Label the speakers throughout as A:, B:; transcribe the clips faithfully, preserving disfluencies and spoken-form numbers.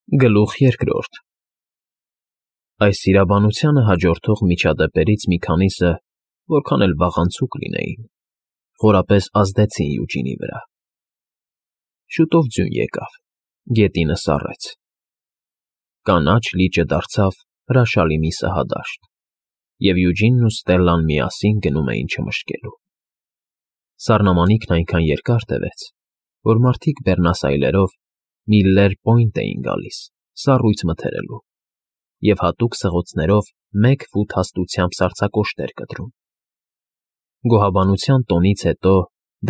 A: Գլուխ երկրորդ Այս սիրաբանությանը հաջորդող միջադեպերից մի քանիսը, որքան էլ վաղանցուկ լինեին, խորապես ազդեցին Յուջինի վրա. Շուտով ձյուն եկավ, գետինը սառեց, կանաչ լիճը դարձավ հրաշալի մի սահադաշտ, և Յուջինն ու Ստելլան միասին գնում էին չմշկելու։ Սառնամանիքն այնքան երկար տևեց, որ մարդիկ բեռնասայլերով Միլլեր Պոինտ էին գալիս սառույց մթերելու և հատուկ սղոցներով մեկ ֆուտ հաստությամբ սառցակոշտեր կտրում։ Գոհաբանության տոնից հետո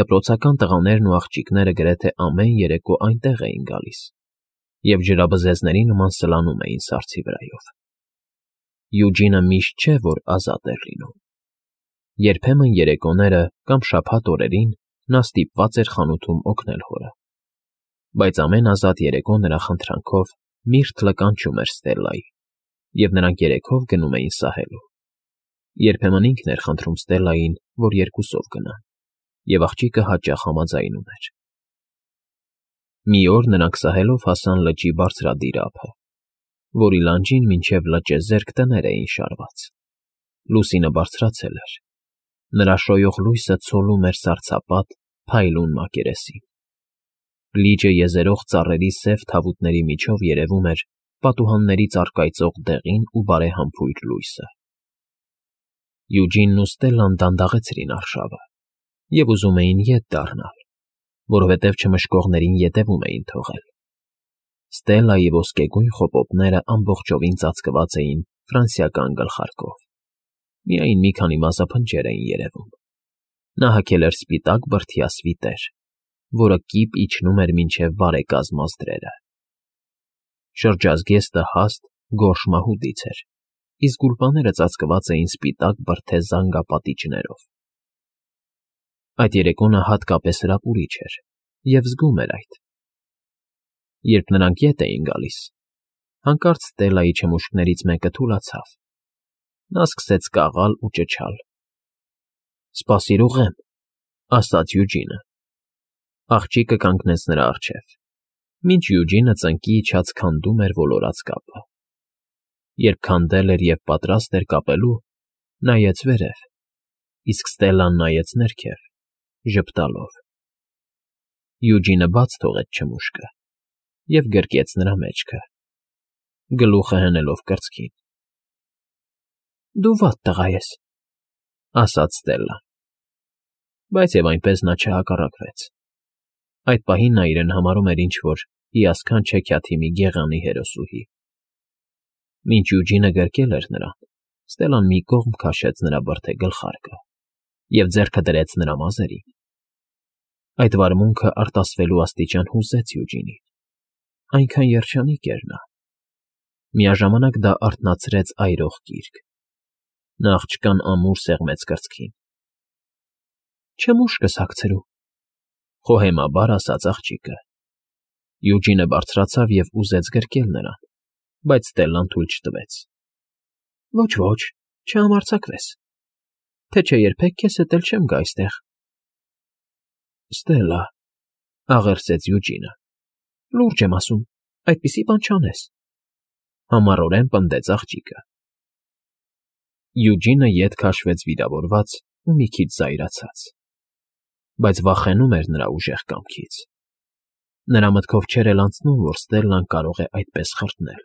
A: դպրոցական տղաներն ու աղջիկները գրեթե ամեն երեկո այնտեղ էին գալիս և ջրաբզեզների նման սլանում էին սառցի վրայով։ Յուջինը միշտ չէ, որ ազատ էր լինում։ Երբեմն երեկոները կամ շաբաթ օրերին նա ստիպված էր խանութում օգնել հորը, բայց ամեն ազատ երեկո նրա խնդրանքով միրթ լկանչում էր Ստելլայի, և նրանք երեքով գնում էին սահելու։ Երբեմն ինքն էր խնդրում Ստելլային, որ երկուսով գնան, և աղջիկը հաճախ համաձայնում էր։ Մի օր նրանք սահելով հասան լճի բարձրադիր ափը, որի լանջին մինչև լճեզերք տներ էին շարված։ Լուսինը բարձրացել էր, նրա շոյող լույսը ցոլում էր սառցապատ, փայլուն մակերեսին։ Լիճը եզերող ծառերի սև թավուտների միջով երևում էր պատուհաններից առկայծող դեղին ու բարեհամբույր լույսը։ Յուջինն ու Ստելլան դանդաղեցրին արշավը և ուզում էին ետ դառնալ, որովհետև չմշկողներին ետևում էին թողել։ Ստելլայի ոսկեգույն խոպոպները ամբողջովին ծածկված էին ֆրանսիական գլխարկով, միայն մի քանի մազափնջեր էին երևում։ Նա հագել էր սպիտակ բրդյա սվիտեր, որը կիպ իջնում էր մինչև բարեկազմ ազդրերը։ Շրջազգեստը հաստ, գորշ մահուդից էր, իսկ գուլպաները ծածկված էին սպիտակ բրդե զանգապատիճներով։ Այդ երեկո նա հատկապես հրապուրիչ էր և զգում էր այդ։ Երբ նրանք ետ էին գալիս, հանկարծ Ստելլայի չմուշկներից մեկը թուլացավ։ Նա սկսեց կաղալ ու ճչալ։ «Սպասիր, ուղղեմ», ասաց Յուջինը։ Աղջիկը կանգնեց նրա առջև, մինչ Յուջինը ծնկի իջած քանդում էր ոլորած կապը։ Երբ քանդել էր և պատրաստ էր կապելու, նայեց վերև, իսկ Ստելլան նայեց ներքև, ժպտալով։ Յուջինը բաց թողեց չմուշկը և գրկեց նրա մեջքը, գլուխը հենելով կրծքին։ «Դու վատ տղա ես», ասաց Ստելլան։ Բայց և այնպես նա չհակառակվեց։ Այդ պահին նա իրեն համարում էր ինչ֊որ հիասքանչ հեքիաթի մի գեղանի հերոսուհի։ Մինչ Յուջինը գրկել էր նրան, Ստելլան մի կողմ քաշեց նրա բրդե գլխարկը և ձեռքը դրեց նրա մազերին։ Այդ վարմունքը արտասվելու աստիճան հուզեց Յուջինին, այնքան երջանիկ էր նա։ Միաժամանակ դա արթնացրեց այրող գիրկ։ Նա աղջկան ամուր սեղմեց կրծքին։ «Չմուշկս հագցրու», խոհեմաբար ասաց աղջիկը։ Յուջինը բարձրացավ և ուզեց գրկել նրան, բայց Ստելլան թույլ չտվեց։ «Ոչ, ոչ, չհամարձակվես, թե չէ երբեք քեզ հետ էլ չեմ գա այստեղ»։ «Ստելլա», աղերսեց Յուջինը, «լուրջ եմ ասում, այդպիսի բան չանես», համառորեն պնդեց աղջիկը։ Յուջինը ետ քաշվեց վիրավորված ու մի քիչ զայրացած, բայց վախենում էր նրա ուժեղ կամքից։ Նրա մտքով չէր էլ անցնում, որ Ստելլան կարող է այդպես խրտնել։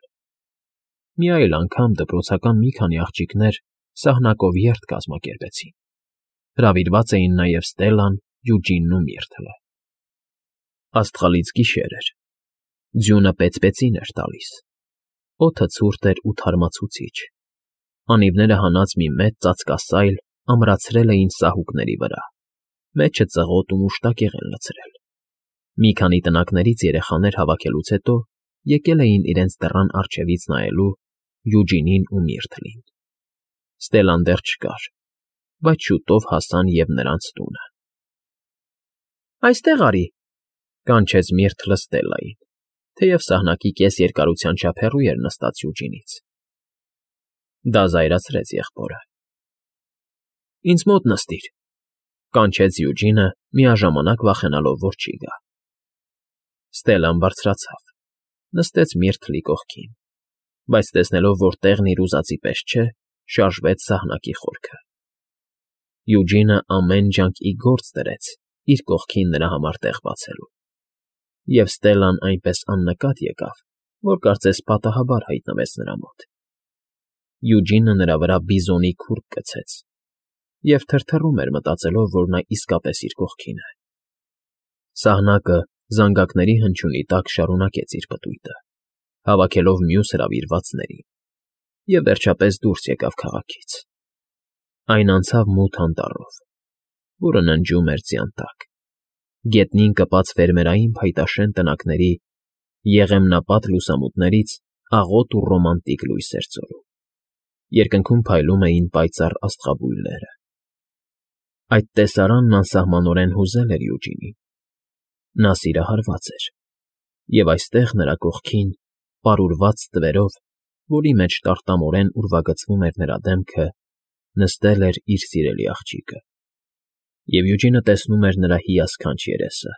A: Մի այլ անգամ դպրոցական մի քանի աղջիկներ սահնակով երթ կազմակերպեցին։ Հրավիրված էին նաև Ստելլան, Յուջինն ու Միրթլը։ Աստղալից գիշեր էր։ Ձյունը պեծպեցին էր տալիս։ Օդը ցուրտ էր ու թարմացուցիչ։ Անիվները հանած մի մեծ ծածկասայլ ամրացրել էին սահուկների վրա, մեջը ծղոտ ու մուշտակեղեն լցրել։ Մի քանի տնակներից երեխաներ հավաքելուց հետո եկել էին իրենց դռան առջևից նայելու Յուջինին ու Միրթլին։ Ստելլան դեռ չկար, բայց շուտով հասան և նրանց տունը։ «Այստեղ արի», կանչեց Միրթլը Ստելլային, թեև սահնակի կես երկարության չափ հեռու էր նստած Յուջինից։ Դա զայրացրեց եղբորը։ «Ինձ մոտ նստիր», կանչեց Յուջինը, միաժամանակ վախենալով, որ չի գա։ Ստելլան բարձրացավ, նստեց Միրթլի կողքին, բայց տեսնելով, որ տեղն իր ուզածի պես չէ, շարժվեց սահնակի խորքը։ Յուջինը ամեն ջանք ի գործ դրեց իր կողքին նրա համար տեղ բացելու, և Ստելլան այնպես աննկատ եկավ, որ կարծես պատահաբար հայտնվեց նրա մոտ։ Յուջինը նրա վրա բիզոնի քուրդ գցեց և թրթռում էր, մտածելով, որ նա իսկապես իր կողքին է։ Սահնակը զանգակների հնչյունի տակ շարունակեց իր պտույտը, հավաքելով մյուս հրավիրվածներին, և վերջապես դուրս եկավ քաղաքից։ Այն անցավ մութ անտառով, որը ննջում էր ձյան տակ, գետնին կպած ֆերմերային փայտաշեն տնակների եղեմնապատ լուսամուտներից աղոտ ու ռոմանտիկ լույս էր ծորում։ Երկնքում փայլում էին պայծառ աստղաբույլերը։ Այդ տեսարանն անսահմանորեն հուզել էր Յուջինին։ Նա սիրահարված էր, և այստեղ նրա կողքին, պարուրված ստվերով, որի մեջ տարտամորեն ուրվագծվում էր նրա դեմքը, նստել էր իր սիրելի աղջիկը։ Եվ Յուջինը տեսնում էր նրա հիասքանչ երեսը,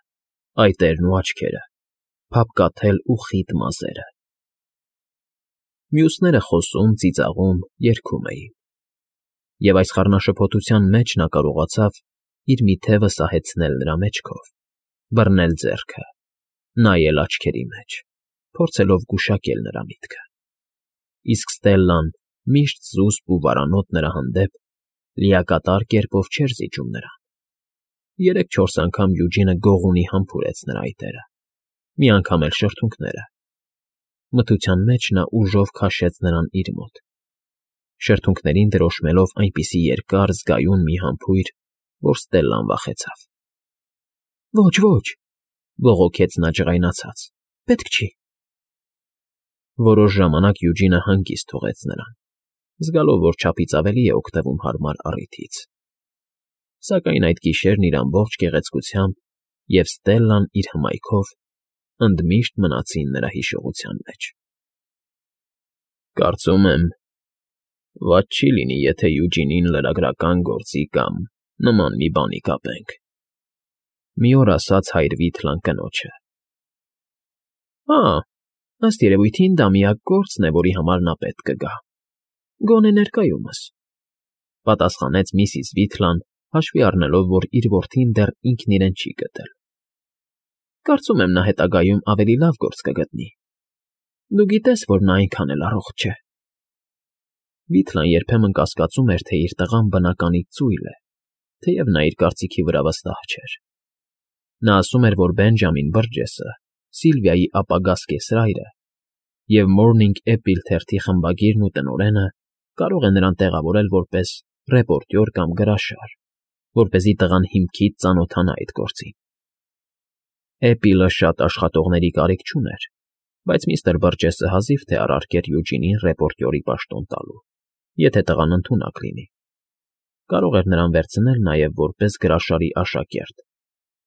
A: այտերն ու աչքերը, փափկաթել ու խիտ մազերը։ Մյուսները խոսում, ծիծաղում, երգում էին։ Եվ այս խառնաշփոթության մեջ նա կարողացավ իր մի թևը սահեցնել նրա մեջքով, բռնել ձեռքը, նայել աչքերի մեջ, փորձելով գուշակել նրա միտքը։ Իսկ Ստելլան, միշտ զուսպ ու վարանոտ նրա հանդեպ, լիակատար կերպով չէր զիջում նրան։ Երեք֊չորս անգամ Յուջինը գողունի համբուրեց նրա այտերը, մի անգամ էլ շրթունքները։ Մթության մեջ նա ուժով քաշեց նրան իր մոտ, շրթունքներին դրոշմելով այնպիսի երկար, զգայուն մի համբույր, որ Ստելլան վախեցավ։ «Ոչ, ոչ», բողոքեց նա ջղայնացած, «պետք չի»։ Որոշ ժամանակ Յուջինը հանգիստ թողեց նրան, զգալով, որ չափից ավելի է օգտվում հարմար առիթից։ Սակայն այդ գիշերն իր ամբողջ գեղեցկությամբ և Ստելլան իր հմայքով ընդմիշտ մնացին նրա հիշողության մեջ։ «Կարծում եմ, վատ չի լինի, եթե Յուջինին լրագրական գործի կամ նման մի բանի կապենք», մի օր ասաց հայր Վիթլան կնոջը։ «Հա, ըստ երևույթին դա միակ գործն է, որի համար նա պետք կգա, գոնե ներկայումս», պատասխանեց միսիս Վիթլան, հաշվի առնելով, որ իր որդին դեռ ինքն իրեն չի գտել։ «Կարծում եմ, նա հետագայում ավելի լավ գործ կգտնի։ Դու գիտես, որ նա այնքան էլ առողջ չէ»։ Վիթլան երբեմն կասկածում էր, թե իր տղան բնականից ծույլ է, թեև նա իր կարծիքի վրա վստահ չէր։ Նա ասում էր, որ Բենջամին Բըրջեսը, Սիլվիայի ապագա սկեսրայրը և Morning Apple թերթի խմբագիրն ու տնօրենը կարող է նրան տեղավորել որպես ռեպորտյոր կամ գրաշար, որպեսզի տղան հիմքից ծանոթանա այդ գործին։ Apple-ը շատ աշխատողների կարիք չուներ, բայց միստր Բըրջեսը հազիվ թե առարկեր Յուջինին ռեպորտյորի պաշտոն տալու, եթե տղան ընդունակ լինի։ Կարող էր նրան վերցնել նաև որպես գրաշարի աշակերտ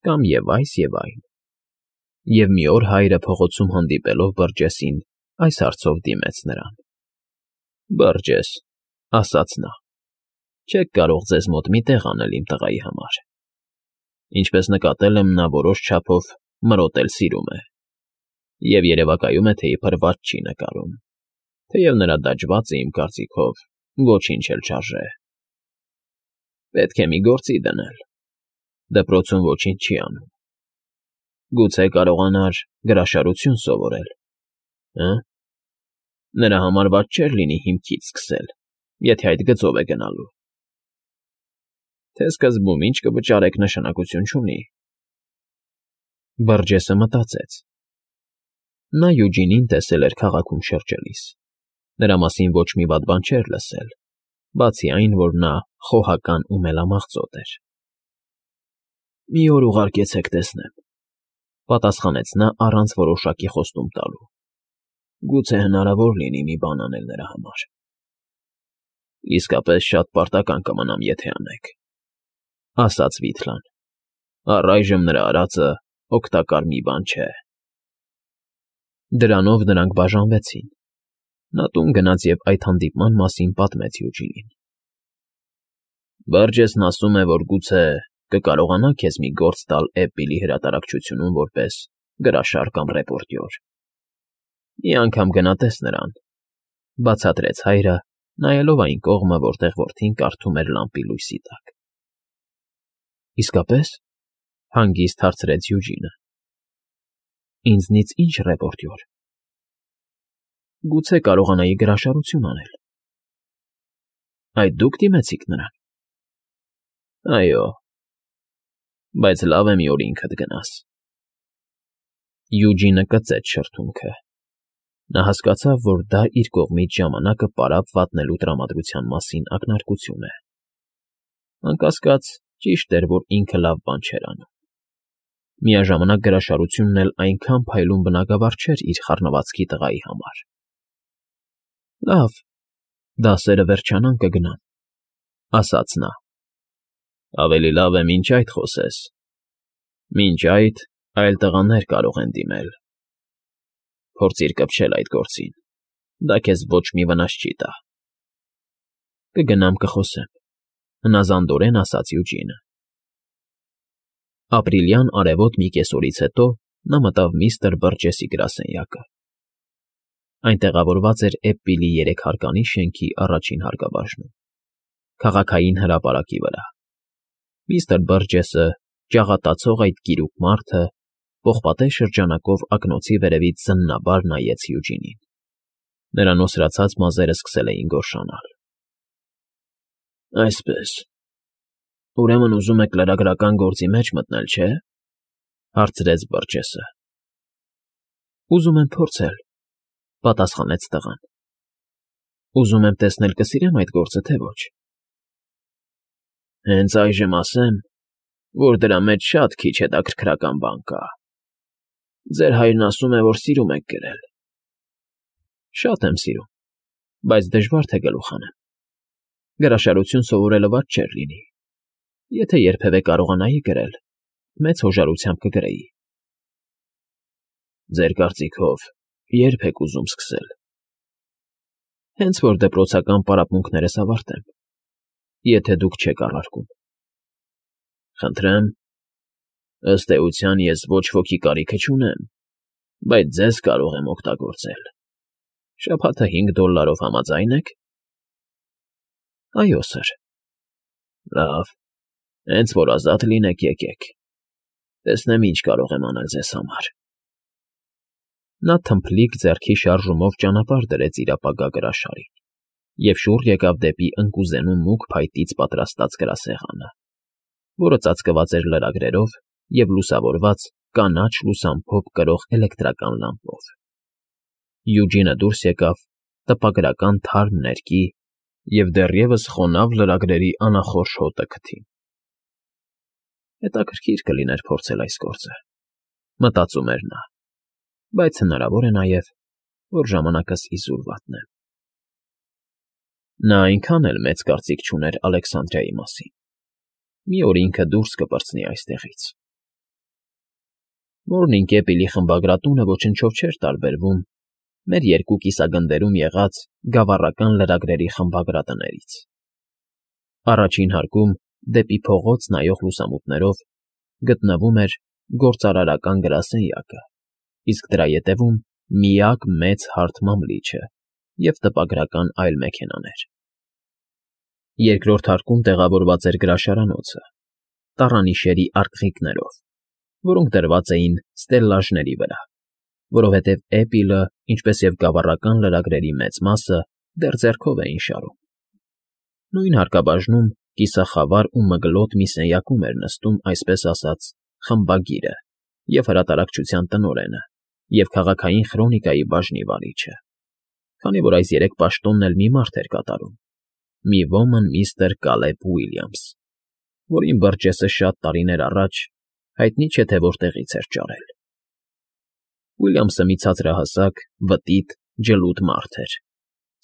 A: կամ և այս, և այն։ Եվ մի օր հայրը փողոցում հանդիպելով Բըրջեսին, այս հարցով դիմեց նրան. «Բըրջես», ասաց նա, «չեք կարող ձեզ մոտ մի տեղ անել իմ տղայի համար։ Ինչպես նկատել եմ, նա որոշ չափով մրոտել սիրում է, և երևակայում է, թե իբր վատ չի նկարում, թեև նրա դաջվածը, իմ կարծիքով, ոչինչ էլ չարժե։ Պետք է մի գործի դնել, դպրոցում ոչինչ չի անում։ Գուցե կարողանար գրաշարություն սովորել, հը՞։ Նրա համար վատ չէր լինի հիմքից սկսել, եթե այդ գծով է գնալու։ Թե սկզբում ինչ կվճարեք, նշանակություն չունի»։ Բըրջեսը մտածեց։ Նա Յուջինին տեսել էր քաղաքում շրջելիս։ Նրա մասին ոչ մի վատ բան չէր լսել, բացի այն, որ նա խոհական ու մելամաղձոտ էր։ «Մի օր ուղարկեցեք տեսնեմ», պատասխանեց նա առանց որոշակի խոստում տալու։ «Գուցե հնարավոր լինի մի բան անել նրա համար»։ «Իսկապես շատ պարտական կմնամ, եթե անեք», ասաց Վիթլան։ «Առայժմ նրա արածը օգտակար մի բան չէ»։ Դրանով նրանք բաժանվեցին։ Նա տուն գնաց և այդ հանդիպման մասին պատմեց Յուջինին։ «Բըրջեսն ասում է, որ գուցե կկարողանա քեզ մի գործ տալ Էպպիլի հրատարակչությունում որպես գրաշար կամ ռեպորտյոր»։ Մի անգամ գնա տես նրան,֊ բացատրեց հայրը, նայելով այն կողմը, որտեղ որդին կարդում էր լամպի լույսի տակ։ Իսկապե՞ս,֊ հանգիստ հարցրեց Յուջինը։ Ինձնից ի՞նչ ռեպորտյոր։ Գուցե կարողանայի գրաշարություն անել։ Այդ դուք դիմեցիք նրան։ Այո, բայց լավ է մի օր ինքդ գնաս։ Յուջինը կծեց շրթունքը։ Նա հասկացավ, որ դա իր կողմից ժամանակը պարապ վատնելու տրամադրության մասին ակնարկություն է։ Անկասկած, ճիշտ էր, որ ինքը լավ բան չէր անում։ Միաժամանակ գրաշարությունն էլ այնքան փայլուն բնագավառ չէր իր խառնվածքի տղայի համար։ Լավ, դասերը վերջանան կգնամ,֊ ասաց նա։ Ավելի լավ է մինչ այդ խոսես։ Մինչ այդ այլ տղաներ կարող են դիմել։ Փորձիր կպչել այդ գործին, դա քեզ ոչ մի վնաս չի տա։ Կգնամ կխոսեմ,֊ հնազանդորեն ասաց Յուջինը։ Ապրիլյան արևոտ մի կեսօրից հետո նա մտավ միստր Բըրջեսի գրասենյակը։ Այն տեղավորված էր Էպպիլի երեքհարկանի շենքի առաջին հարկաբաժնում, քաղաքային հրապարակի վրա։ Միստր Բըրջեսը, ջաղատացող այդ գիրուկ մարդը, պողպատե շրջանակով ակնոցի վերևից զննաբար նայեց Յուջինին։ Նրա նոսրացած մազերը սկսել էին գորշանալ։ Այսպես, ուրեմն ուզում եք լրագրական գործի մեջ մտնել, չէ՞, հարցրեց Բըրջեսը։ Ուզում եմ փորձել,֊ պատասխանեց տղան։ Ուզում եմ տեսնել կսիրեմ այդ գործը, թե ոչ։ Հենց այժմ ասեմ, որ դրա մեջ շատ քիչ հետաքրքրական բան կա։ Ձեր հայրն ասում է, որ սիրում եք գրել։ Շատ եմ սիրում, բայց դժվար թե գլուխ անեմ։ Գրաշարություն սովորելը վատ չէր լինի։ Եթե երբևէ կարողանայի գրել, մեծ հոժարությամբ կգրեի։ Ձեր կարծիքով ե՞րբ եք ուզում սկսել։ Հենց որ դպրոցական պարապմունքներս ավարտեմ, եթե դուք չեք առարկում։ Խնդրեմ, ըստ էության ես ոչ ոքի կարիքը չունեմ, բայց ձեզ կարող եմ օգտագործել։ Շաբաթը հինգ դոլլարով համաձայն եք։ Այո, սըր։ Լավ, հենց որ ազատ լինեք, եկեք։ Տեսնեմ ինչ կարող եմ անել ձեզ համար։ Նա թմփլիկ ձեռքի շարժումով ճանապարհ դրեց իր ապագա գրաշարին և շուռ եկավ դեպի ընկուզենու մուգ փայտից պատրաստած գրասեղանը, որը ծածկված էր լրագրերով և լուսավորված կանաչ լուսամփոփ կրող էլեկտրական լամպով։ Յուջինը դուրս եկավ տպագրական թարմ ներկի և դեռևս խոնավ լրագրերի անախորժ հոտը քթին։ Հետաքրքիր կլիներ փորձել այս գործը, մտածում էր նա, բայց հնարավոր է նաև, որ ժամանակս իզուր վատնեմ։ Նա այնքան էլ մեծ կարծիք չուներ Ալեքսանդրիայի մասին։ Մի օր ինքը դուրս կպրծնի այստեղից։ Մորնինգ Էպիլի խմբագրատունը ոչնչով չէր տարբերվում մեր երկու կիսագնդերում եղած գավառական լրագրերի խմբագրատներից։ Առաջին հարկում, դեպի փողոց նայող լուսամուտներով, գտնվում էր գործարարական գրասենյակը, իսկ դրա ետևում միակ մեծ հարթ մամլիչը և տպագրական այլ մեքենաներ։ Երկրորդ հարկում տեղավորված էր գրաշարանոցը, տառանիշերի արկղիկներով, որոնք դրված էին ստելլաժների վրա, որովհետև Էպիլը, ինչպես և գավառական լրագրերի մեծ մասը, դեռ ձեռքով էին շարում։ Նույն հարկաբաժնում կիսախավար ու մգլոտ մի սենյակում էր նստում, այսպես ասած, խմբագիրը և հրատարակչության տնօրենը և քաղաքային խրոնիկայի բաժնի վարիչը, քանի որ այս երեք պաշտոնն էլ մի մարդ էր կատարում՝ մի ոմն միստր Կալեբ Ուիլյամս, որին Բըրջեսը շատ տարիներ առաջ, հայտնի չէ թե որտեղից էր ճարել։ Ուիլյամսը մի ցածրահասակ, վտիտ, ջլուդ մարդ էր,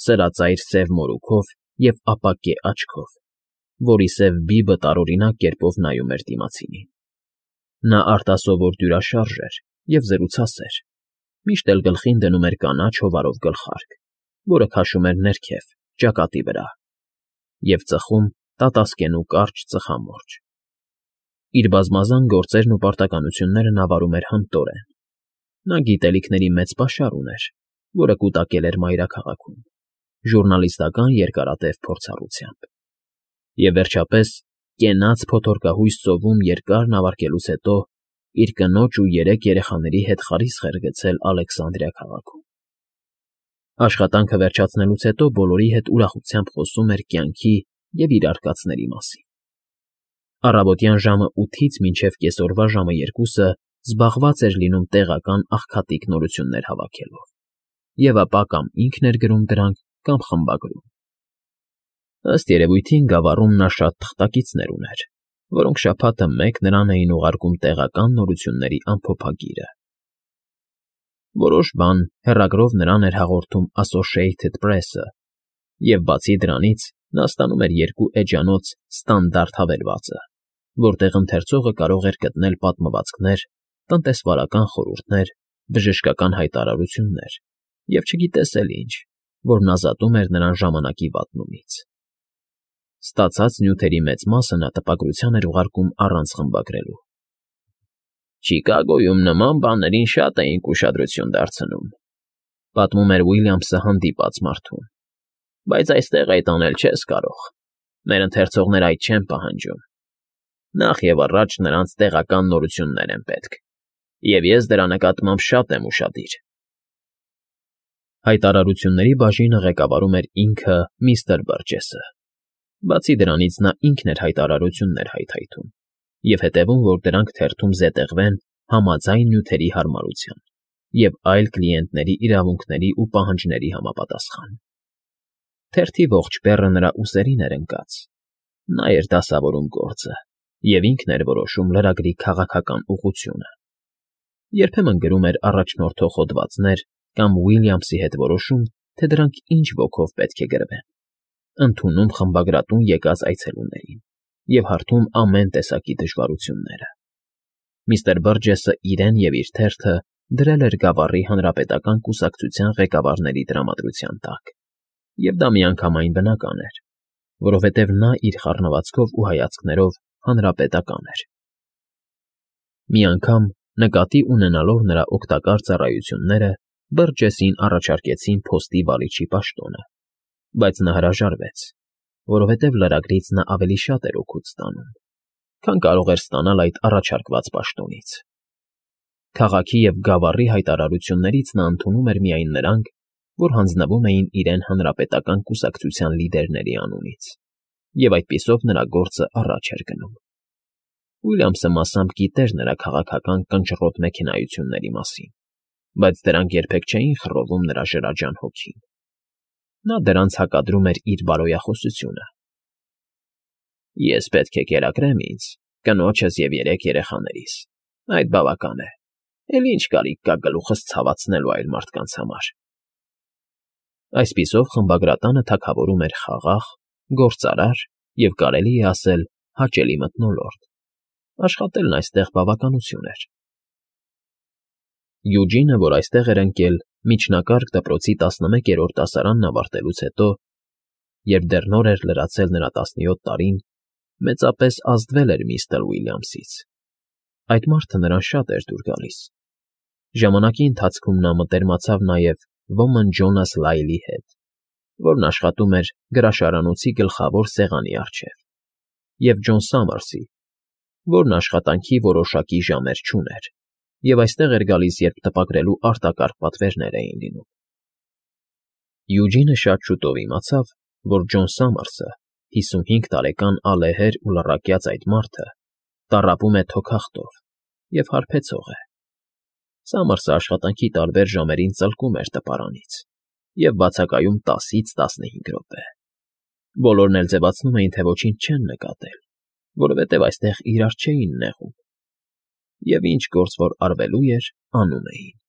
A: սրածայր սև մորուքով և ապակե աչքով, որի սև բիբը տարօրինակ կերպով նայում էր դիմացինին։ Նա արտասովոր դյուրաշարժ էր և զրուցասեր, միշտ էլ գլխին դնում էր կանաչ հովարով գլխարկ, որը քաշում էր ներքև, ճակատի վրա, և ծխում տատասկենու կարճ ծխամորճ։ Իր բազմազան գործերն ու պարտականությունները նա վարում էր հմտորեն։ Նա գիտելիքների մեծ պաշար ուներ որը կուտակել էր մայրաքաղաքում, ժուռնալիստական երկարատև փորձառությամբ, և, վերջապես, կենաց փոթորկահույս ծովում երկար նավարկելուց հետո իր կնոջ ու երեք երեխաների հետ խարիսխ էր գցել Ալեքսանդրիա քաղաքում։ Աշխատանքը վերջացնելուց հետո բոլորի հետ ուրախությամբ խոսում էր կյանքի և իր արկածների մասին։ Առավոտյան ժամը ութից մինչև կեսօրվա ժամը երկուսը զբաղված էր լինում տեղական աղքատիկ նորություններ հավաքելով, և ապա կամ ինքն էր գրում դրանք, կամ խմբագրում։ Ըստ երևույթին Գավառում նա շատ թղթակիցներ ուներ, որոնք շաբաթը մեկ նրան էին ուղարկում տեղական նորությունների ամփոփագիրը։ Որոշ բան հեռագրով նրան էր հաղորդում Associated Press-ը, և բացի դրանից նա ստանում էր երկու էջանոց Ստանդարտ հավելվածը, որտեղ ընթերցողը կարող էր գտնել պատմվածքներ, տնտեսվարական խորհուրդներ, բժշկական հայտարարություններ և չգիտես էլ ինչ, որն ազատում էր նրան ժամանակի վատնումից։ Ստացած նյութերի մեծ մասը նա տպագրության էր ուղարկում առանց խմբագրելու։ «Չիկագոյում նման բաներին շատ էինք ուշադրություն դարձնում,֊ պատմում էր Ուիլյամսը հանդիպած մարդուն,֊ բայց այստեղ այդ անել չես կարող։ Մեր ընթերցողները այդ չեն պահանջում։ Նախ և առաջ նրանց տեղական նորություններ են պետք, և ես դրա նկատմամբ շատ եմ ուշադիր»։ Հայտարարությունների բաժինը ղեկավարում էր ինքը միստր Բըրջեսը։ Բացի դրանից նա ինքն էր հայտարարություններ հայթայթում և հետևում, որ դրանք թերթում զետեղվեն համաձայն նյութերի հարմարության և այլ կլիենտների իրավունքների ու պահանջների համապատասխան։ Թերթի ողջ բեռը նրա ուսերին էր ընկած։ Նա էր դասավորում գործը և ինքն էր որոշում լրագրի քաղաքական ուղղությունը։ Երբեմն գրում էր առաջնորդող հոդվածներ կամ Ուիլյամսի հետ որոշում, թե դրանք ինչ ոգով պետք է գրվեն, ընդունում խմբագրատուն եկած այցելուներին և հարթում ամեն տեսակի դժվարությունները։ Միստր Բըրջեսը իրեն և իր թերթը դրել էր Գավառի հանրապետական կուսակցության ղեկավարների տրամադրության տակ, և դա միանգամայն բնական էր, որովհետև նա իր խառնվածքով ու հայացքներով հանրապետական էր։ Մի անգամ, նկատի ունենալով նրա օգտակար ծառայությունները, Բըրջեսին առաջարկեցին փոստի վարիչի պաշտոնը, բայց նա հրաժարվեց, որովհետև լրագրից նա ավելի շատ էր օգուտ ստանում, քան կարող էր ստանալ այդ առաջարկված պաշտոնից։ Քաղաքի և Գավառի հայտարարություններից նա ընդունում էր միայն նրանք, որ հանձնվում էին իրեն հանրապետական կուսակցության լիդերների անունից, և այդպիսով նրա գործը առաջ էր գնում։ Ուիլյամսը մասամբ գիտեր նրա քաղաքական կնճռոտ մեքենայությունների մասին, բայց դրանք երբեք չէին խռովում նրա շրջաջան հոգին։ Նա դրանց հակադրում էր իր բարոյախոսությունը։ «Ես պետք է կերակրեմ ինձ, կնոջս և երեք երեխաներիս, այդ բավական է, էլ ինչ կարիք կա գլուխս ցավացնելու այլ մարդկանց համար»։ Այսպիսով խմբագրատանը թագավորում էր խաղաղ, գործարար և, կարելի է ասել, հաճելի մթնոլորտ։ Աշխատելն այստեղ բավականություն էր։ Յուջինը, որ այստեղ էր ընկել միջնակարգ դպրոցի տասնմեկերորդ դասարանն ավարտելուց հետո, երբ դեռ նոր էր լրացել նրա տասնյոթ տարին, մեծապես ազդվել էր միստր Ուիլյամսից։ Այդ մարդը նրան շատ էր դուր գալիս։ Ժամանակի ընթացքում նա մտերմացավ նաև ոմն Ջոնաս Լայլի հետ, որն աշխատում էր գրաշարանոցի գլխավոր սեղանի առջև, և Ջոն Սամարսի, որն աշխատանքի որոշակի ժամեր չուներ և այստեղ էր գալիս, երբ տպագրելու արտակարգ պատվերներ էին լինում։ Յուջինը շատ շուտով իմացավ, որ Ջոն Սամարսը, հիսունհինգ տարեկան ալեհեր ու լռակյաց այդ մարդը, տառապում է թոքախտով և հարբեցող է։ Սամարսը աշխատանքի տարբեր ժամերին ծլկում էր տպարանից և բացակայում տասից տասնհինգ րոպե։ Բոլորն էլ ձևացնում էին, թե ոչինչ չեն նկատել, որովհետև այստեղ իրար չէին նեղում, և ինչ գործ որ արվելու էր, անում էին։